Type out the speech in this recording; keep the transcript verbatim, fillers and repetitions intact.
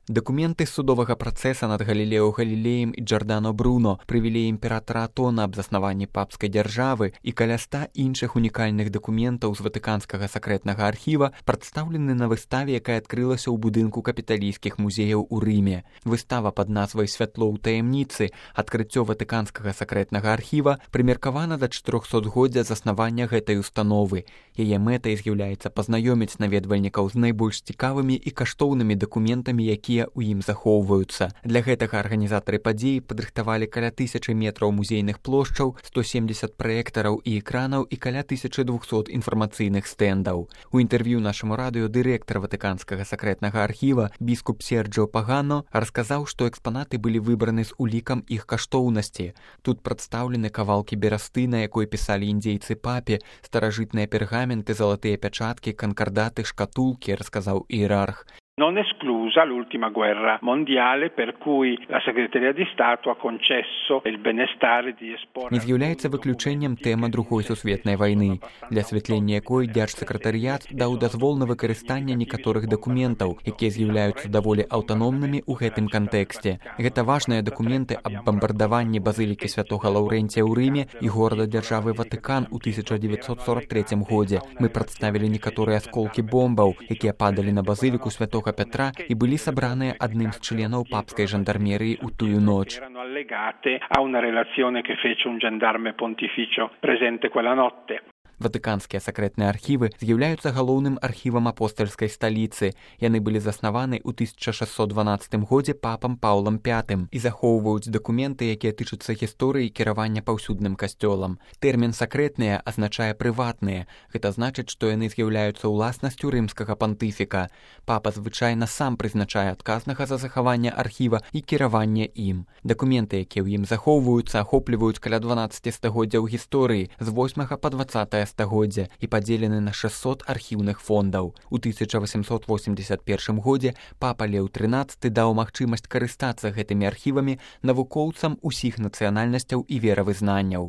Дакументы судовага працэса над Галілео Галілеем і Джордано Бруно, прывілеі імператара Атона аб заснаванні папскай дзяржавы і каля ста іншых унікальных дакументаў з ватыканскага сакрэтнага архіва прадстаўлены на выставе, якая адкрылася ў будынку капіталійскіх музеяў у Рыме. Выстава пад назвай «Святло ў таямніцы. Адкрыццё ватыканскага сакрэтнага архіва» прымеркавана да чатырохсотгоддзя заснавання гэтай установы. Яе мэтай з'яўляецца пазнаёміць наведвальнікаў з найбольш цікавымі і каштоўнымі дакументамі, якія у ім захоўваюцца. Для гэтага арганізатары падзеі падрыхтавалі каля тысячы метраў музейных плошчаў, сто семдзесят праектараў і экранаў і каля тысячы двухсот інфармацыйных стэндаў. У інтэрв'ю нашаму радыё дырэктар ватыканскага сакрэтнага архіва біскуп Серджіо Пагано расказаў, што экспанаты былі выбраны з улікам іх каштоўнасці. Тут прадстаўлены кавалкі берасты, на якой пісалі індзейцы папе, старажытныя пергаменты, залатыя пячаткі, канкардаты, шкатулкі, расказаў іерарх. Non esclusa l'ultima guerra mondiale, per cui la Segreteria di Stato ha concesso il benestare di esporre... Не з'яўляецца выключэннем тэма другой сусветнай вайны, для асвятлення якой дзяржсакратарыят даў дазвол на выкарыстанне некаторых дакументаў, якія з'яўляюцца даволі аўтаномнымі ў гэтым кантэксце. Гэта важныя дакументы аб бамбардаванні базылікі святога Лаўрэнція ў Рыме і горада-дзяржавы Ватыкан у тысяча дзевяцьсот сорок трэцім годзе. Мы прадставілі некаторыя асколкі бомбаў, якія падалі на базыліку святога Петра і былі сабраныя адным з членаў папскай жандармерыі ў тую ноч. A una relazione che fece un gendarme pontificio presente quella notte. Ватыканскія сакрэтныя архівы з'яўляюцца галоўным архівам апостальскай сталіцы. Яны былі заснаваны ў тысяча шэсцьсот дванаццатым годзе папам Паўлам пятым і захоўваюць дакументы, якія тычацца гісторыі кіравання паўсюдным касцёлам. Тэрмін «сакрэтныя» азначае «прыватныя». Гэта значыць, што яны з'яўляюцца ўласнасцю рымскага пантыфіка. Папа звычайна сам прызначае адказнага за захаванне архіва і кіраванне ім. Дакументы, якія ў ім захоўваюцца, ахопліваюць каля дванаццаці стагоддзяў гісторыі з восьмага па дваццатае стагоддзя і падзелены на шэсцьсот архіўных фондаў. У тысяча васемсот восемьдесят першым годзе папа Леў трынаццаты даў магчымасць карыстацца гэтымі архівамі навукоўцам усіх нацыянальнасцяў і веравызнанняў.